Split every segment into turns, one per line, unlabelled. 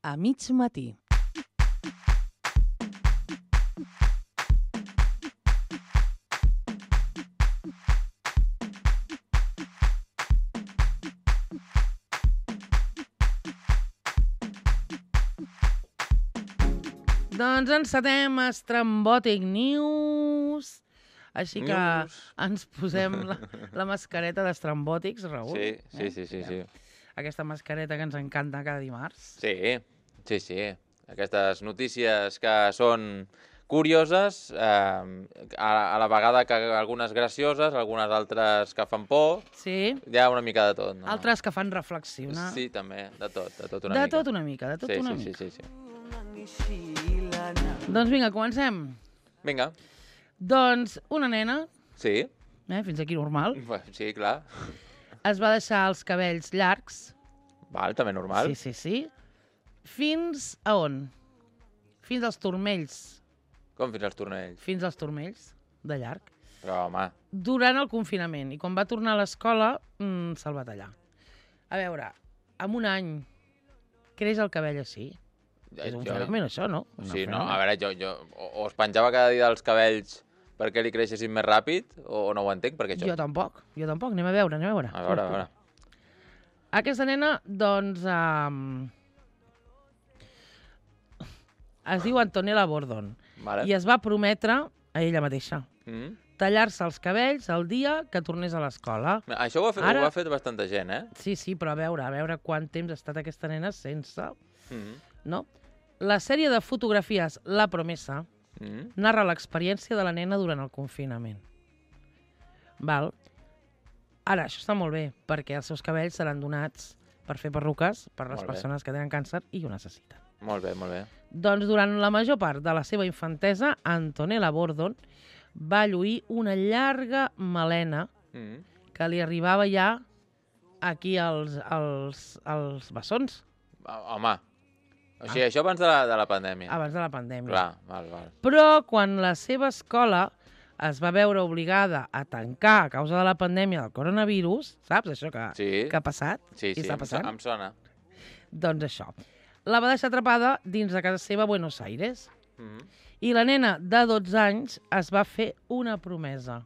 a mig matí. Doncs encetem Estrambòtic News. Així que ens posem la mascareta d'estrambòtics, Raül.
Sí.
Aquesta mascareta que ens encanta cada dimarts.
Sí. Aquestes notícies que són curioses, a la vegada que algunes gracioses, algunes altres que fan por.
Sí.
Hi ha una mica de tot, no?
Altres que fan reflexionar.
Sí, també, de tot una mica.
De tot una mica.
Sí.
Doncs vinga, comencem.
Vinga.
Doncs una nena,
Sí.
fins aquí normal,
Sí, clar.
es va deixar els cabells llargs.
Val, també normal.
Sí. Fins a on? Fins als turmells.
Com fins als tornells?
Fins als turmells, de llarg.
Però, home...
Durant el confinament. I quan va tornar a l'escola, se'l va tallar. A veure, en un any creix el cabell així. És un fenomen, això, no?
Sí, no, a veure, jo o es penjava cada dia dels cabells perquè li creixessin més ràpid, o no ho entenc, perquè això...
Jo tampoc. Anem a veure.
A veure.
Aquesta nena, doncs, es diu Antonella Bordon.
Vale.
I es va prometre a ella mateixa tallar-se els cabells el dia que tornés a l'escola.
Això ho ha fet bastanta gent,
Sí, però a veure quant temps ha estat aquesta nena sense... No? La sèrie de fotografies La Promesa narra l'experiència de la nena durant el confinament. Val? Ara, això està molt bé, perquè els seus cabells seran donats per fer perruques per les persones que tenen càncer i ho necessiten.
Molt bé.
Doncs durant la major part de la seva infantesa, Antonella Bordon va lluir una llarga melena que li arribava ja aquí als bessons.
Home, o sigui, això abans de la pandèmia.
Abans de la pandèmia.
Clar, val.
Però quan la seva escola es va veure obligada a tancar a causa de la pandèmia del coronavirus, saps això que ha passat?
Sí,
està passant?
Em sona.
Doncs això. La va deixar atrapada dins de casa seva a Buenos Aires. I la nena de 12 anys es va fer una promesa.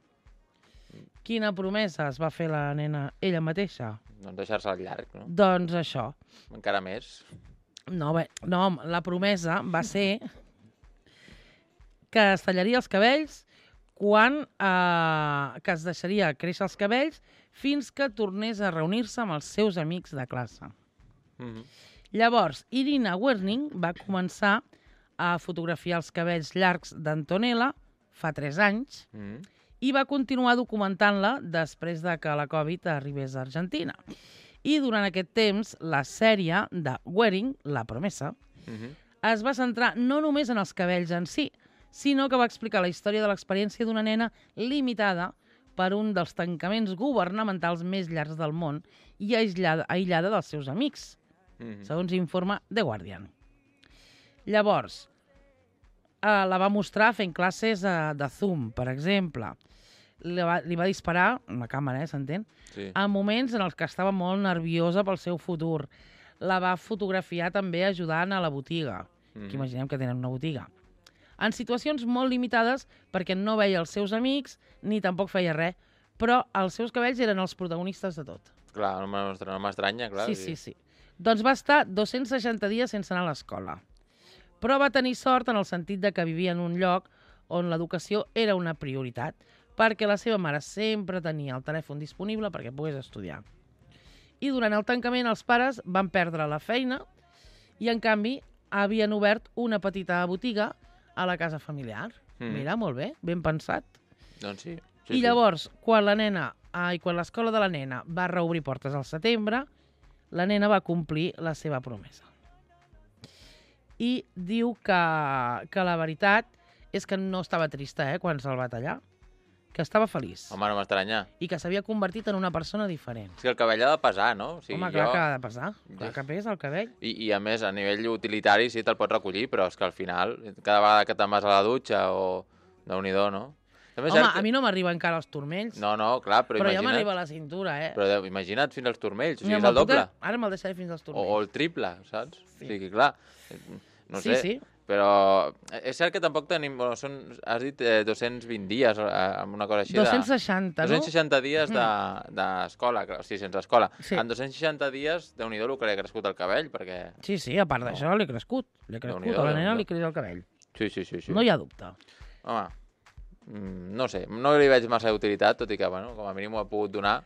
Quina promesa es va fer la nena ella mateixa?
Doncs deixar-se al llarg, no?
Doncs això.
Encara més.
No, la promesa va ser que es tallaria els cabells que es deixaria créixer els cabells fins que tornés a reunir-se amb els seus amics de classe. Llavors, Irina Werning va començar a fotografiar els cabells llargs d'Antonella fa 3 anys i va continuar documentant-la després de que la Covid arribés a Argentina. I durant aquest temps, la sèrie de Werning, La Promesa, es va centrar no només en els cabells en si, sinó que va explicar la història de l'experiència d'una nena limitada per un dels tancaments governamentals més llargs del món i aïllada dels seus amics, segons informa The Guardian. Llavors, la va mostrar fent classes de Zoom, per exemple. Li va disparar, amb la càmera, s'entén?
Sí.
En moments en els que estava molt nerviosa pel seu futur. La va fotografiar també ajudant a la botiga, que imaginem que tenen una botiga. En situacions molt limitades perquè no veia els seus amics ni tampoc feia res, però els seus cabells eren els protagonistes de tot.
Clar, no m'estranya, clar.
Sí. Doncs va estar 260 dies sense anar a l'escola. Però va tenir sort en el sentit de que vivia en un lloc on l'educació era una prioritat, perquè la seva mare sempre tenia el telèfon disponible perquè pogués estudiar. I durant el tancament els pares van perdre la feina i, en canvi, havien obert una petita botiga a la casa familiar. Mira, molt bé, ben pensat.
Doncs sí.
I llavors, quan l'escola de la nena va reobrir portes al setembre, la nena va complir la seva promesa. I diu que la veritat és que no estava trista quan se'l va tallar, que estava feliç.
Home, no m'estranya.
I que s'havia convertit en una persona diferent.
És que el cabell ha de pesar, no? O sigui,
home, clar que ha de pesar. Clar que pesa el cabell.
I a més, a nivell utilitari sí te'l pots recollir, però és que al final, cada vegada que te'n vas a la dutxa o... Déu-n'hi-do, no?
Home, a mi no m'arriba encara als turmells.
No, clar, però imagina't...
Però ja m'arriba a la cintura,
Però imagina't fins als turmells, o sigui, és el doble.
Ara me'l deixaré fins als turmells.
O el triple, saps? Sí. O sigui, clar, no sé.
Sí.
Però és cert que tampoc tenim... Has dit 220 dies, amb una cosa així.
260, no?
260 dies d'escola, o sigui, sense escola.
Sí.
En 260 dies, Déu-n'hi-do el que li ha crescut el cabell, perquè...
Sí, a part d'això, li ha crescut. A la nena li creix el cabell.
Sí.
No hi ha dubte.
Home, no sé, no li veig massa d'utilitat, tot i que, bueno, com a mínim ho ha pogut donar.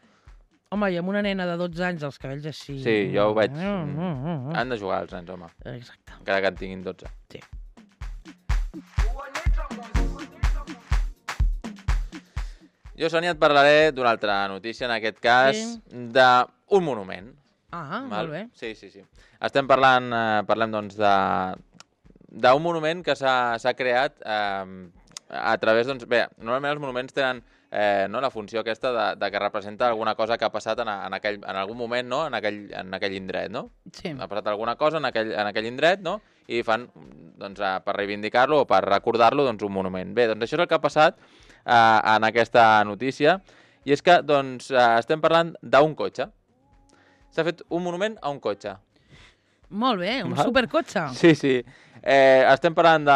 Home, i amb una nena de 12 anys, els cabells així...
Sí, jo ho veig. Han de jugar els nens, home.
Exacte.
Encara que en tinguin 12.
Sí.
Jo, Sònia, et parlaré d'una altra notícia, en aquest cas, d'un monument.
Molt bé.
Sí. Parlem, doncs, d'un monument que s'ha creat a través, doncs, bé, normalment els monuments tenen la funció aquesta de que representa alguna cosa que ha passat en algun moment, no? en aquell indret, no?
Sí.
Ha passat alguna cosa en aquell indret, no? I fan, doncs, per reivindicar-lo o per recordar-lo, doncs, un monument. Bé, doncs això és el que ha passat en aquesta notícia, i és que, doncs, estem parlant d'un cotxe. S'ha fet un monument a un cotxe.
Molt bé, un supercotxe.
Sí. Estem parlant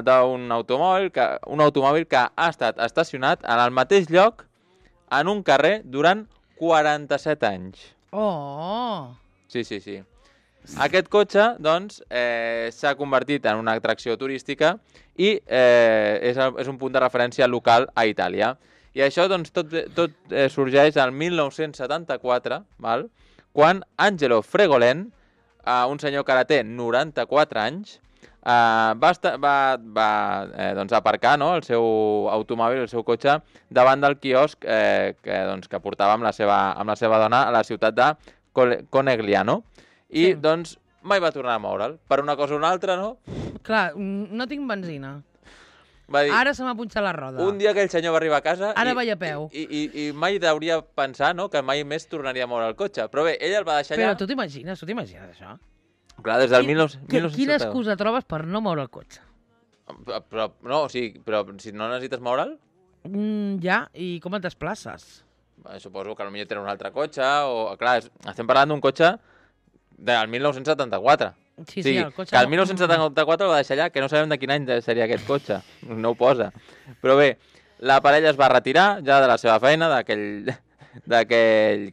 d'un automòbil que ha estat estacionat en el mateix lloc en un carrer durant 47 anys.
Oh!
Sí. Aquest cotxe, doncs, s'ha convertit en una atracció turística i és un punt de referència local a Itàlia. I això, doncs, tot sorgeix al 1974, val? Quan Angelo Fregolén, un senyor que ara té 94 anys, va aparcar, no, el seu automòbil, el seu cotxe, davant del quiosc que portava amb la seva dona a la ciutat de Conegliano. I, doncs, mai va tornar a moure'l. Per una cosa o una altra, no?
Clar, no tinc benzina.
Va dir,
ara se m'ha punxat la roda.
Un dia aquell senyor va arribar a casa...
Ara vaig a peu.
I mai hauria pensar, no?, que mai més tornaria a moure el cotxe. Però bé, ell el va deixar allà...
Però tu t'imagines això?
Clar, des del 1970...
Quina excusa trobes per no moure el cotxe?
Però si no necessites moure'l...
Ja, i com et desplaces?
Suposo que potser tenen un altre cotxe, o... Clar, estem parlant d'un cotxe del 1974.
Sí, el cotxe...
Que el 1974 el va deixar allà, que no sabem de quin any seria aquest cotxe. No ho posa. Però bé, la parella es va retirar ja de la seva feina, d'aquell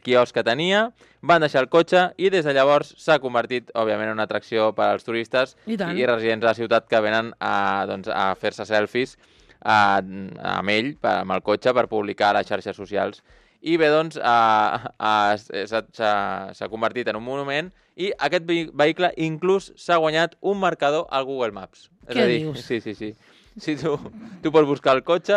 quiosc que tenia, van deixar el cotxe i des de llavors s'ha convertit, òbviament, en una atracció per als turistes i residents de la ciutat que venen a fer-se selfies amb ell, amb el cotxe, per publicar a les xarxes socials. I bé, doncs, s'ha convertit en un monument i aquest vehicle inclús s'ha guanyat un marcador al Google Maps.
Què dius?
Sí. Si tu pots buscar el cotxe,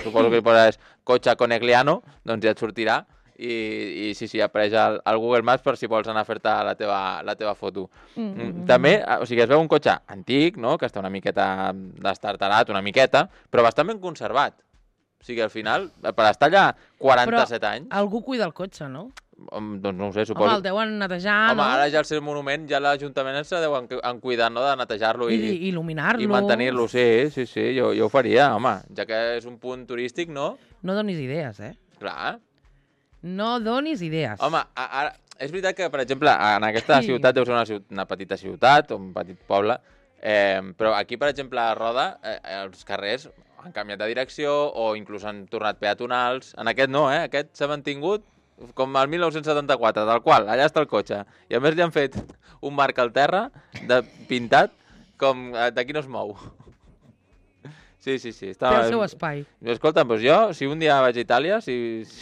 suposo que hi poses cotxe Conegliano, doncs ja et sortirà i sí, apareix al Google Maps per si vols anar a fer-te la teva foto. També, o sigui, es veu un cotxe antic, no?, que està una miqueta destartarat, una miqueta, però bastant ben conservat. O sigui, al final, per estar allà 47 anys...
Però algú cuida el cotxe, no?
Doncs no ho sé, suposo.
Home, el deuen netejar, no?
Home, ara ja al ser monument, ja l'Ajuntament se deuen cuidar, no?, de netejar-lo
i il·luminar-lo.
I mantenir-lo, sí, jo ho faria, home. Ja que és un punt turístic, no?
No donis idees,
Clar.
No donis idees.
Home, ara, és veritat que, per exemple, en aquesta ciutat deu ser una petita ciutat o un petit poble, però aquí, per exemple, a Roda, els carrers han canviat de direcció o inclús han tornat peatonals. En aquest no, aquest s'ha mantingut com el 1974, tal qual, allà està el cotxe. I a més li han fet un marc al terra pintat com d'aquí no es mou. Sí.
Té el seu espai.
Escolta, doncs jo, si un dia vaig a Itàlia...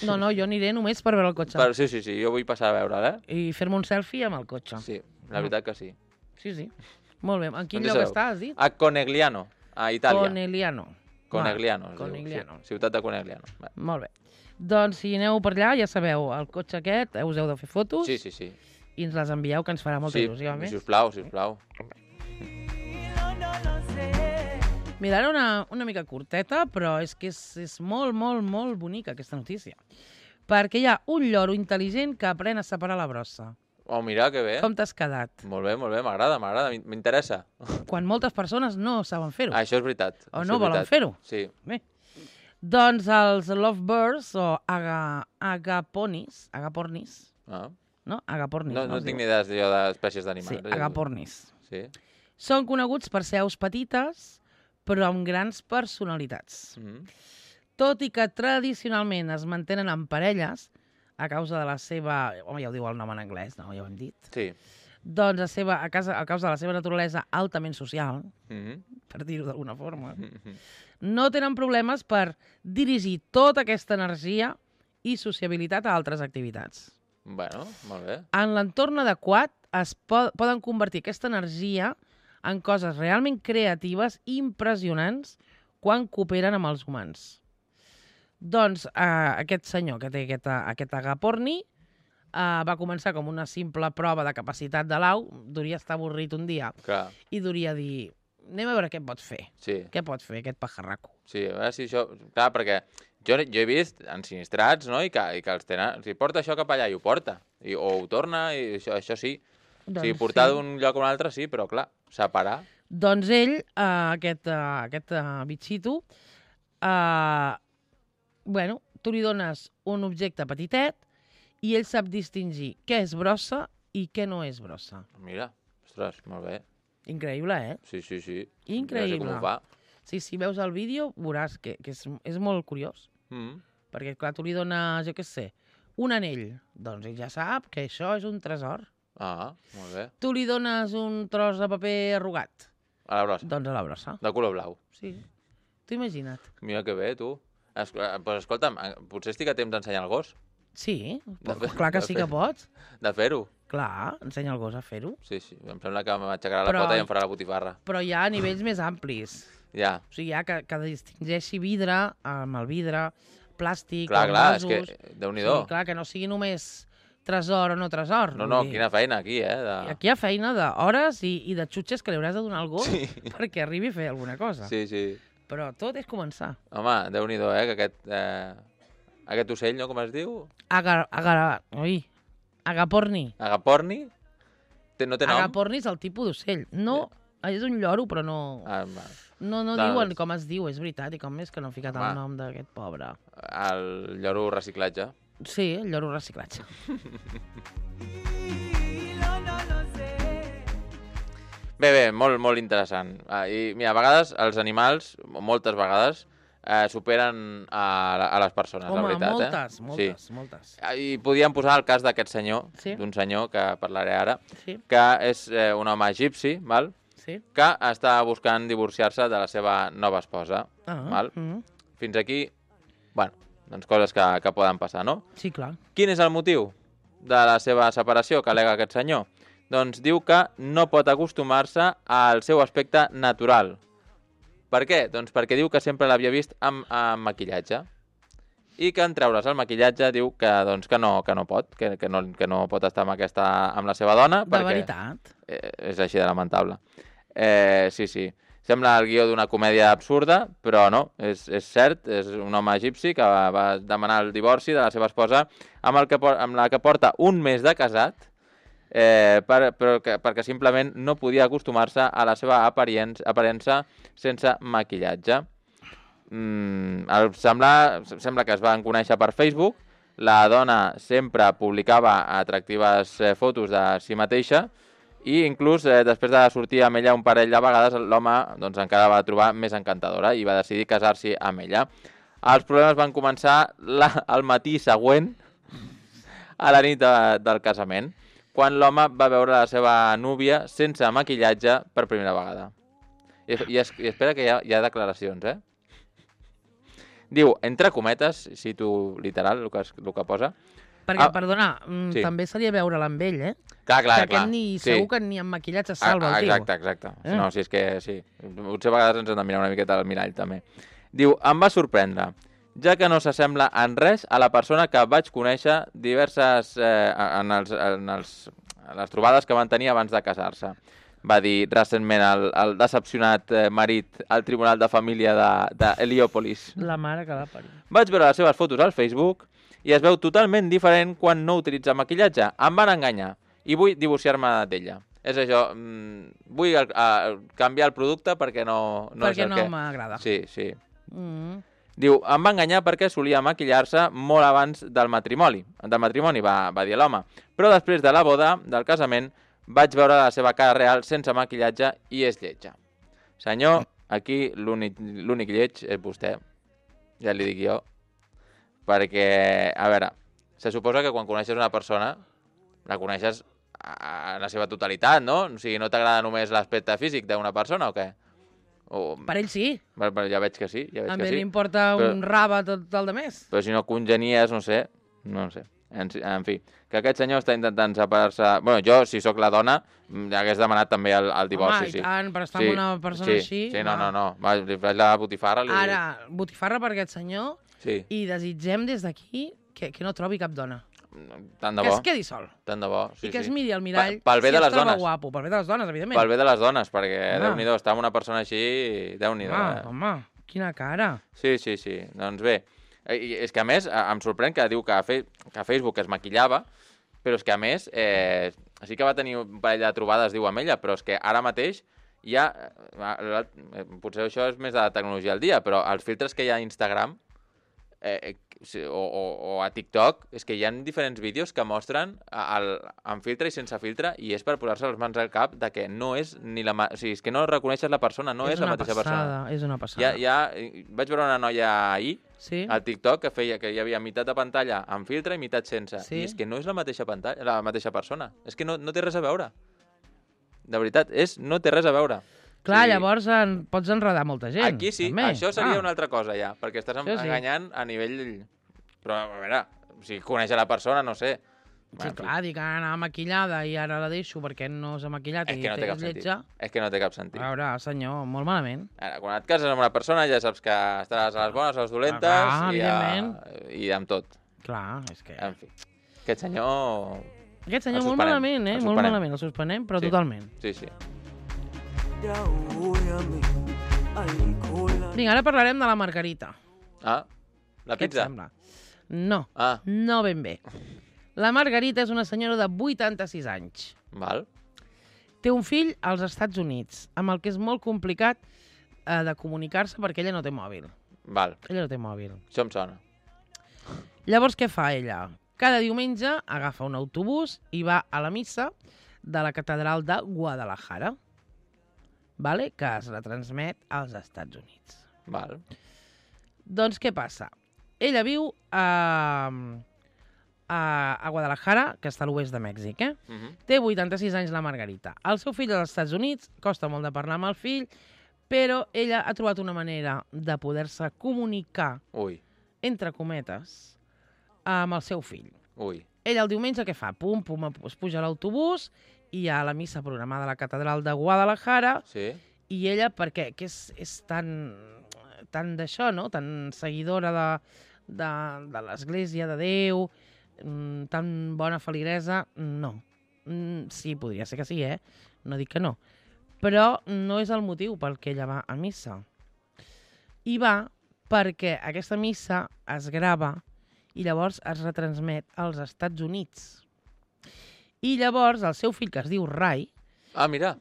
No, jo aniré només per veure el cotxe.
Sí, jo vull passar a veure'l,
I fer-me un selfie amb el cotxe.
Sí, la veritat que sí.
Sí. Molt bé. En quin lloc està, has dit?
A Conegliano, a Itàlia.
Conegliano.
Sí, ciutat de Conegliano.
Molt bé. Doncs si aneu per allà, ja sabeu, el cotxe aquest, us heu de fer fotos.
Sí.
I ens les envieu, que ens farà molta il·lusió.
Sí, sisplau.
Mira, era una mica curteta, però és que és molt, molt, molt bonica aquesta notícia. Perquè hi ha un lloro intel·ligent que aprèn a separar la brossa.
Oh, mira, que bé.
Com t'has quedat?
Molt bé, m'agrada, m'interessa.
Quan moltes persones no saben fer-ho.
Això és veritat.
O no volen fer-ho.
Sí.
Bé, Doncs els lovebirds o agapornis, no? Agapornis.
No tinc ni idea d'espècies d'animals.
Sí, agapornis.
Sí.
Són coneguts per ser aus petites, però amb grans personalitats. Tot i que tradicionalment es mantenen en parelles, a causa de la seva... Home, ja ho diu el nom en anglès, no? Ja ho hem dit.
Sí.
Doncs a causa de la seva naturalesa altament social, per dir-ho d'alguna forma, no tenen problemes per dirigir tota aquesta energia i sociabilitat a altres activitats.
Bueno, molt bé.
En l'entorn adequat poden convertir aquesta energia en coses realment creatives i impressionants quan cooperen amb els humans. Doncs aquest senyor que té aquest agaporni va començar com una simple prova de capacitat de l'au, duria estar avorrit un dia.
Clar.
I duria dir, anem a veure què pot fer.
Sí.
Què pot fer aquest pajarraco?
Sí, a veure si això... Clar, perquè jo he vist ensinistrats, no?, i que els tenen... Si porta això cap allà i ho porta, o ho torna, i això sí.
Doncs
o sigui, portar d'un lloc a un altre sí, però clar, separar...
Doncs ell, aquest bitxito, bueno, tu li dones un objecte petitet i ell sap distingir què és brossa i què no és brossa.
Mira, ostres, molt bé.
Increïble, eh?
Sí.
Increïble.
Ja sé com ho fa.
Sí, si veus el vídeo veuràs que és molt curiós. Perquè, clar, tu li dones, jo què sé, un anell. Doncs ell ja sap que això és un tresor.
Ah, molt bé.
Tu li dones un tros de paper arrugat.
A la brossa.
Doncs a la brossa.
De color blau.
Sí. Tu imagina't.
Mira que bé, tu. Pues escolta'm, potser estic a temps d'ensenyar el gos.
Sí, clar que sí que pots.
De fer-ho.
Clar, ensenya el gos a fer-ho.
Sí, em sembla que m'aixecarà la pota i em farà la botifarra.
Però hi ha nivells més amplis.
Ja.
O sigui, hi ha que distingeixi vidre amb el vidre, plàstic,
clar,
vasos...
és que Déu-n'hi-do.
Sí, clar, que no sigui només tresor o no tresor.
No, quina feina aquí, eh?
Aquí hi ha feina d'hores i de xutxes que li hauràs de donar al gos perquè arribi a fer alguna cosa.
Sí.
Però tot és començar.
Home, Déu-n'hi-do, que aquest ocell, no? Com es diu?
Agaporni.
Agaporni? No té nom?
Agaporni és el tipus d'ocell. No, és un lloro, però no... No diuen com es diu, és veritat, i com és que no han ficat el nom d'aquest pobre.
El lloro reciclatge.
Sí, el lloro reciclatge.
Bé, molt interessant. I mira, a vegades els animals, moltes vegades, superen a les persones, la veritat.
Moltes.
I podíem posar el cas d'aquest senyor, d'un senyor que parlaré ara, que és un home egipci, val? Que està buscant divorciar-se de la seva nova esposa. Val? Fins aquí, bueno, doncs coses que poden passar, no?
Sí, clar.
Quin és el motiu de la seva separació que al·lega aquest senyor? Doncs diu que no pot acostumar-se al seu aspecte natural. Per què? Doncs perquè diu que sempre l'havia vist amb maquillatge. I que en treure's el maquillatge diu que no pot, que no pot estar amb la seva dona.
De veritat?
És així de lamentable. Sí. Sembla el guió d'una comèdia absurda, però no, és cert, és un home egipci que va demanar el divorci de la seva esposa amb la que porta un mes de casat, perquè simplement no podia acostumar-se a la seva aparença sense maquillatge. Sembla que es van conèixer per Facebook. La dona sempre publicava atractives fotos de si mateixa i inclús després de sortir amb ella un parell de vegades l'home encara la va trobar més encantadora i va decidir casar-s'hi amb ella. Els problemes van començar al matí següent a la nit del casament, quan l'home va veure la seva núvia sense maquillatge per primera vegada. I espera que hi ha declaracions, Diu, entre cometes, cito literal el que posa.
Perquè, perdona, també seria veure-la amb ell,
Clar.
Que segur que ni amb maquillatge salva el tio.
Exacte. No, si és que sí. Potser a vegades ens hem de mirar una miqueta al mirall, també. Diu, em va sorprendre, ja que no s'assembla en res a la persona que vaig conèixer diverses en les trobades que van tenir abans de casar-se. Va dir recentment el decepcionat marit al Tribunal de Família d'Heliòpolis.
La mare que l'ha parit.
Vaig veure les seves fotos al Facebook i es veu totalment diferent quan no utilitza maquillatge. Em van enganyar i vull divorciar-me d'ella. És això, vull canviar el producte perquè no
perquè
és el
no
que...
m'agrada.
Sí. Diu, em va enganyar perquè solia maquillar-se molt abans del matrimoni. Del matrimoni, va dir l'home. Però després de la boda, del casament, vaig veure la seva cara real sense maquillatge i és lletja. Senyor, aquí l'únic lleig és vostè. Ja li dic jo. Perquè, a veure, se suposa que quan coneixes una persona, la coneixes a la seva totalitat, no? O sigui, no t'agrada només l'aspecte físic d'una persona o què?
Per ell sí.
Ja veig que sí,
A mi m'importa un raba tot el de més.
Però si no congenies, no sé. En fi, que aquest senyor està intentant separar-se... Bueno, jo, si sóc la dona, hagués demanat també el divorci.
Home, i tant, per estar amb una persona així...
Sí, no. Li faig la botifarra.
Ara, botifarra per aquest senyor i desitgem des d'aquí que no trobi cap dona.
Tant de bo.
Que es quedi sol.
Tant de bo, sí.
I que es miri al mirall
pel bé de les dones.
Guapo. Pel bé de les dones, evidentment.
Pel bé de les dones, perquè Déu-n'hi-do, estar amb una persona així, Déu-n'hi-do.
Home, quina cara.
Sí. Doncs bé, és que a més em sorprèn que diu que a Facebook es maquillava, però és que a més sí que va tenir un parell de trobades, diu amb ella, però és que ara mateix ja... Potser això és més de la tecnologia al dia, però els filtres que hi ha a Instagram o a TikTok, és que hi ha diferents vídeos que mostren amb filtre i sense filtre, i és per posar-se les mans al cap de que no és ni la... O sigui, és que no reconeixes la persona, no és la mateixa persona.
És una passada.
Vaig veure una noia ahir, al TikTok, que hi havia meitat de pantalla amb filtre i meitat sense. I és que no és la mateixa pantalla, la mateixa persona. És que no té res a veure. De veritat, no té res a veure.
Clar, llavors pots enredar molta gent.
Aquí sí, també. Això seria una altra cosa ja, perquè estàs enganyant a nivell... Però, a veure, si coneix la persona, no sé.
Sí, clar, dic que anava maquillada i ara la deixo perquè no s'ha maquillat i és lletja.
És que no té cap sentit.
A veure, senyor, molt malament.
Ara, quan et cases amb una persona ja saps que estaràs a les bones, a les dolentes i amb tot.
Clar, és que...
En fi, aquest senyor...
Aquest senyor molt malament, molt malament, el suspenem, però totalment.
Sí.
Vinga, ara parlarem de la Margarita.
Ah, la pizza?
Què et sembla? No, no ben bé. La Margarita és una senyora de 86 anys.
Val.
Té un fill als Estats Units, amb el que és molt complicat de comunicar-se perquè ella no té mòbil.
Val.
Ella no té mòbil.
Això em sona.
Llavors, què fa ella? Cada diumenge agafa un autobús i va a la missa de la catedral de Guadalajara, que es retransmet als Estats Units.
Val.
Doncs què passa? Ella viu a Guadalajara, que està a l'oest de Mèxic. Té 86 anys la Margarita. El seu fill als Estats Units, costa molt de parlar amb el fill, però ella ha trobat una manera de poder-se comunicar, entre cometes, amb el seu fill. Ella el diumenge què fa? Pum, es puja a l'autobús i hi ha la missa programada a la catedral de Guadalajara i ella, perquè és tan d'això, no? Tan seguidora de l'Església, de Déu, tan bona feligresa, no. Sí, podria ser que sí, no dic que no. Però no és el motiu pel que ella va a missa. I va perquè aquesta missa es grava i llavors es retransmet als Estats Units. I llavors el seu fill, que es diu Ray...
mira!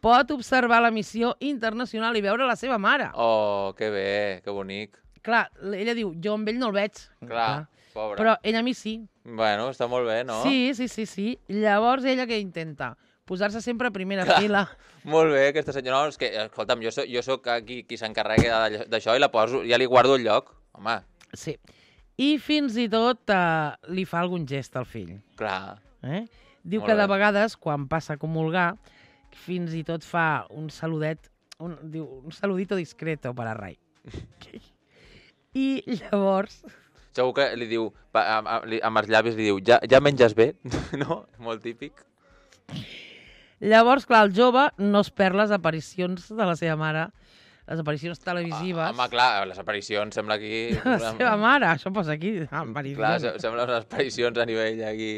Pot observar la missió internacional i veure la seva mare.
Oh, que bé, que bonic.
Clar, ella diu, jo amb ell no el veig.
Clar, pobra.
Però ella a mi sí.
Bueno, està molt bé, no?
Sí. Llavors ella què intenta? Posar-se sempre a primera fila.
Molt bé, aquesta senyora. No, és que, escolta'm, jo soc aquí qui s'encarrega d'això i la poso, ja li guardo el lloc. Home.
Sí. I fins i tot li fa algun gest al fill.
Clar.
Diu que de vegades, quan passa a comulgar, fins i tot fa un saludet, diu, un saludito discreto per a Ray. I llavors...
Segur que li diu, amb els llavis li diu, ja menges bé? No? Molt típic.
Llavors, clar, el jove no es perd les aparicions de la seva mare, les aparicions televisives.
Home, clar, les aparicions sembla aquí...
La seva mare, això posa aquí, aparicions.
Clar, sembla unes aparicions a nivell aquí...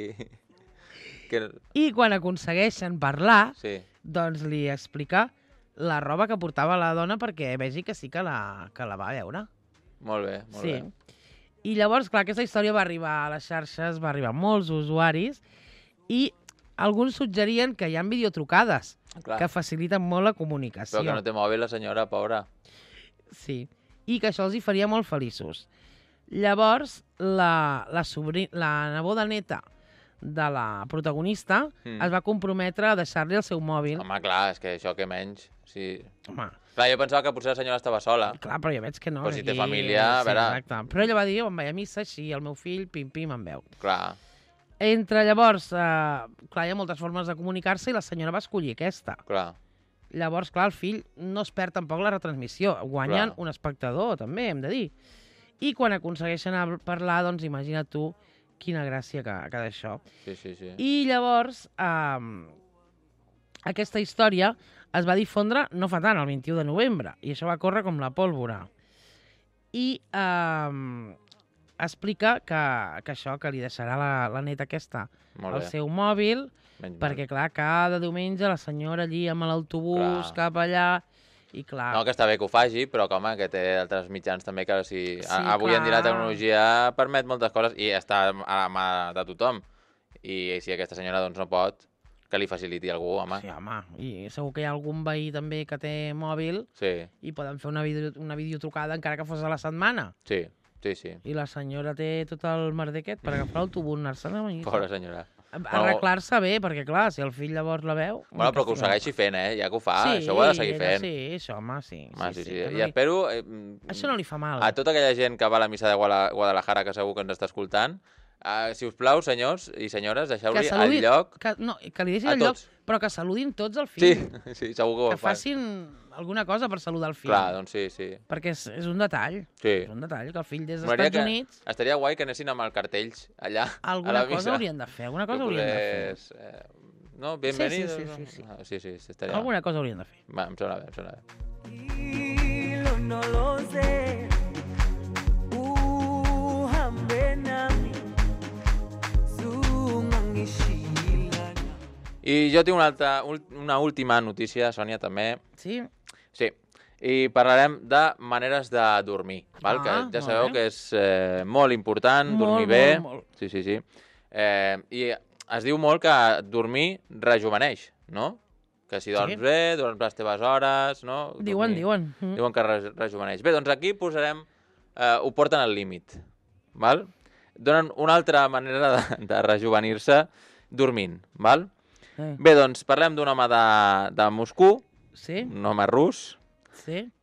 I quan aconsegueixen parlar, doncs li explica la roba que portava la dona perquè vegi que sí que la va veure.
Molt bé, molt bé.
I llavors, clar, aquesta història va arribar a les xarxes, va arribar a molts usuaris i alguns suggerien que hi ha videotrucades que faciliten molt la comunicació.
Però que no té mòbil la senyora, pobra.
Sí. i que això els hi faria molt feliços. Llavors, la neboda neta de la protagonista es va comprometre a deixar-li el seu mòbil.
Home, clar, és que això que menys. Sí.
Home.
Clar, jo pensava que potser la senyora estava sola.
Clar, però ja veig que no.
Però si té família, a veure...
Exacte. Però ella va dir, em vaig a missa, així, el meu fill, pim-pim, em veu.
Clar.
Entre llavors, clar, hi ha moltes formes de comunicar-se i la senyora va escollir aquesta.
Clar.
Llavors, clar, el fill no es perd tampoc la retransmissió. Guanyen un espectador, també, hem de dir. I quan aconsegueixen parlar, doncs imagina't tu quina gràcia que d'això.
Sí.
I llavors, aquesta història es va difondre no fa tant, el 21 de novembre, i això va córrer com la pólvora. I explica que això, que li deixarà la neta aquesta el seu mòbil, perquè, clar, cada diumenge la senyora allí amb l'autobús cap allà, i clar...
No, que està bé que ho faci, però que, home, que té altres mitjans també que avui en dia la tecnologia permet moltes coses i està a la mà de tothom. I si aquesta senyora doncs no pot, que li faciliti algú, home.
Sí, home, i segur que hi ha algun veí també que té mòbil i poden fer una videotrucada encara que fos a la setmana.
Sí.
I la senyora té tot el merder aquest per agafar l'autobús, anar-se'n a venir.
Pobra senyora.
Arreglar-se bé, perquè clar, si el fill llavors la veu...
Bueno, però que ho segueixi fent, ja que ho fa, això ho ha de seguir fent.
Sí, això, home, sí.
I espero...
Això no li fa mal.
A tota aquella gent que va a la missa de Guadalajara, que segur que ens està escoltant, si us plau, senyors i senyores, deixeu-li el lloc...
No, que li deixin el lloc, però que saludin tots el fill.
Sí, segur que ho fan.
Que facin alguna cosa per saludar el fill.
Clar, doncs sí.
Perquè és un detall.
Sí.
És un detall, que el fill des dels Estats Units...
Estaria guai que anessin amb els cartells allà,
alguna cosa haurien de fer,
No, bienvenido. Sí, estaria...
Alguna cosa haurien de fer.
Va, em sona bé.
No lo sé.
I jo tinc una última notícia, Sònia, també.
Sí?
Sí. I parlarem de maneres de dormir, val? Que ja sabeu que és molt important, dormir bé.
Molt.
Sí. I es diu molt que dormir rejuveneix, no? Que si dorms bé, dorms les teves hores, no?
Diuen.
Diuen que rejuveneix. Bé, doncs aquí posarem... ho porten al límit, val? Donen una altra manera de rejuvenir-se dormint, val? Bé, doncs parlem d'un home de Moscou, un home rus,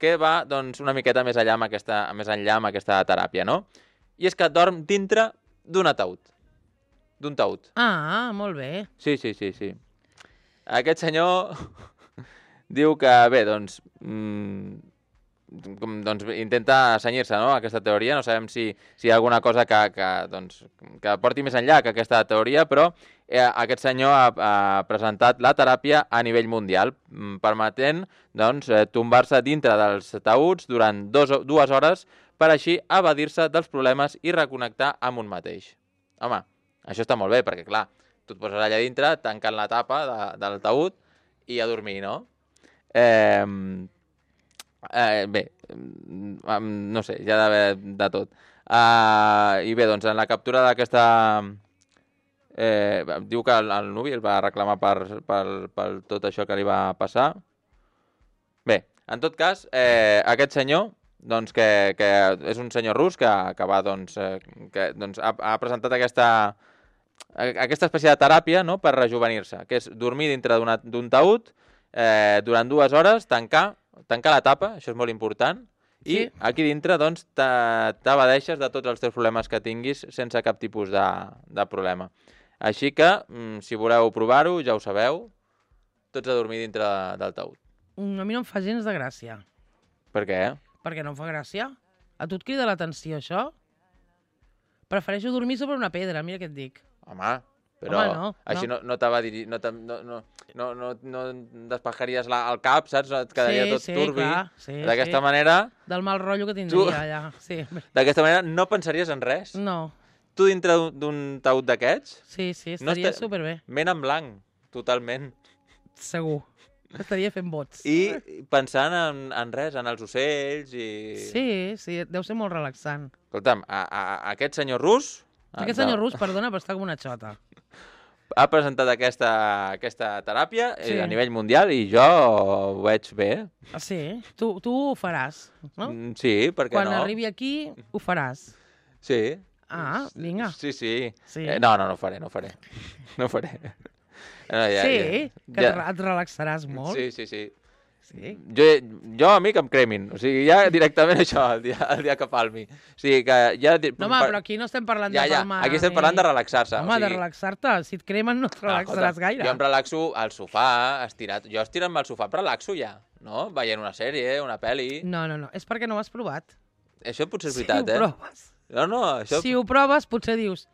que va doncs, una miqueta més enllà amb aquesta teràpia, no? I és que dorm dintre d'un ataúd. D'un taüt.
Ah, molt bé.
Sí. Aquest senyor diu que, bé, doncs intenta cenyir-se, no?, a aquesta teoria. No sabem si hi ha alguna cosa que porti més enllà que aquesta teoria, però aquest senyor ha presentat la teràpia a nivell mundial, permetent tombar-se dintre dels taüts durant 2 hores per així evadir-se dels problemes i reconnectar amb un mateix. Home, això està molt bé, perquè, clar, tu et poses allà dintre, tancant la tapa del taüt i a dormir, no? Bé, no sé, hi ha d'haver de tot. I bé, doncs en la captura d'aquesta... diu que el nuvi el va reclamar per tot això que li va passar. Bé, en tot cas, aquest senyor, doncs, que és un senyor rus que va, doncs, ha presentat aquesta espècie de teràpia, no?, per rejuvenir-se, que és dormir dintre d'un taüt durant 2 hores, tancar la tapa, això és molt important, i aquí dintre doncs t'abadeixes de tots els teus problemes que tinguis sense cap tipus de problema. Així que, si voleu provar-ho, ja ho sabeu, tots a dormir dintre del taüt.
A mi no em fa gens de gràcia.
Per què?
Perquè no em fa gràcia. A tu et crida l'atenció, això? Prefereixo dormir sobre una pedra, mira què et dic.
Home, però així no despejaries el cap, saps? Et quedaria tot turbi. D'aquesta manera...
Del mal rotllo que tindria allà.
D'aquesta manera no pensaries en res?
No.
Tu dintre d'un taüt d'aquests?
Sí, estaria superbé.
Ment en blanc, totalment.
Segur. Estaria fent bots.
I pensant en res, en els ocells i...
Sí, deu ser molt relaxant.
Escolta'm, aquest senyor rus...
Aquest senyor rus, perdona, però està com una xota.
ha presentat aquesta teràpia
Sí.
a nivell mundial i jo ho veig bé.
Ah, sí? Tu ho faràs, no?
Sí, per què
Quan
no?
arribi aquí, ho faràs.
Sí.
Ah, vinga.
Sí.
Sí.
No ho faré. No faré. No,
Sí, que et relaxaràs molt.
Sí.
Sí.
Jo, a mi que em cremin. O sigui, ja directament això, el dia que palmi. O sigui, que ja...
No, home, però aquí no estem parlant de palmar.
Aquí estem parlant de relaxar-se.
Home, de relaxar-te. Si et cremen no et relaxaràs gaire.
Jo em relaxo al sofà, estirat. Jo estirant-me al sofà em relaxo ja, no? Veient una sèrie, una pel·li...
No. És perquè no ho has provat.
Això potser és veritat,
Si ho proves.
No, això...
Si ho proves, potser dius...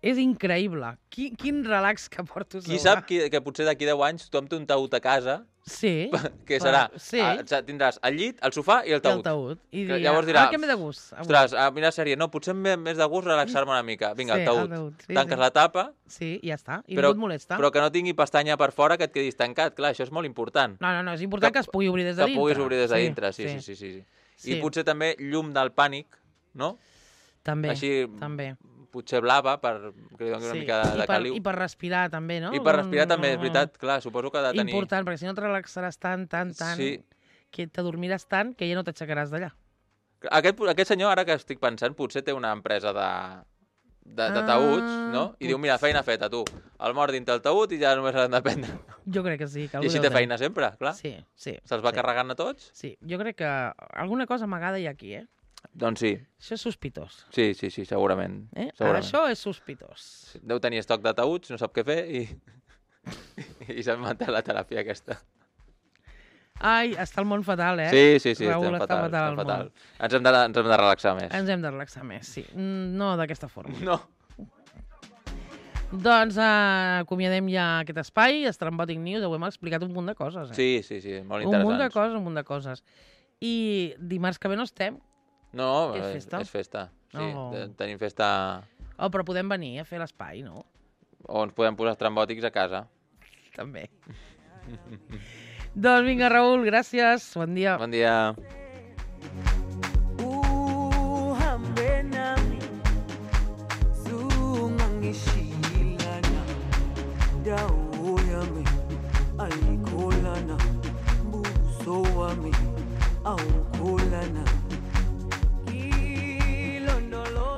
És increïble. Quin relax que porto.
Qui sap que potser d'aquí 10 anys tothom té un taüt a casa,
Sí.
que serà...
Sí.
Tindràs el llit, el sofà i el taüt.
I
Llavors dirà,
que m'he de gust. Avui.
ostres, a mirar sèrie, no, potser més de gust relaxar-me una mica. Vinga,
Sí,
el taüt.
el taüt, sí,
Tanques
sí.
la tapa,
Sí, i ja està. I
però,
ningú et molesta.
però que no tingui pestanya per fora, que et quedis tancat. Clar, això és molt important.
No, és important que es pugui obrir des de
Que
dintre.
puguis obrir des de dintre, sí.
Sí.
I potser també llum del pànic, no?
També,
Així,
també.
potser blava, que li doni una mica de caliu.
I per respirar també, no?
I per respirar també, és veritat, clar, suposo que ha de tenir...
Important, perquè si no et relaxaràs tant,
Sí.
que t'adormiràs tant que ja no t'aixecaràs d'allà.
Aquest senyor, ara que estic pensant, potser té una empresa de taüts, no? I diu, mira, feina feta, tu. El mort dintre el taüt i ja només l'han de prendre.
Jo crec que sí. Que
I així té feina sempre, clar.
Sí.
Se'ls va carregant a tots?
Sí, jo crec que alguna cosa amagada hi ha aquí,
Doncs sí.
Això és sospitós.
Sí, segurament.
Ara
segurament.
això és sospitós.
Deu tenir estoc de taüts, no sap què fer i s'ha inventat la teràpia aquesta.
Ai, està el món fatal,
Sí,
Raül,
estem
està
fatal.
el món.
Ens hem de relaxar més.
Ens hem de relaxar més, sí. No d'aquesta forma.
No.
Doncs acomiadem ja aquest espai, Estrambòtic News, ho hem explicat un munt de coses,
Sí, molt
Un munt
interessants.
de coses. I dimarts que ve no estem.
No,
És festa?
és festa. Sí,
Oh.
tenim festa...
Oh, però podem venir a fer l'espai, no?
O ens podem posar estrambòtics a casa.
També. Doncs vinga, Raül, gràcies. Bon dia.
Bon dia.
Uhambe nami zungangishilana dawo yami ayikholana buso wami awukholana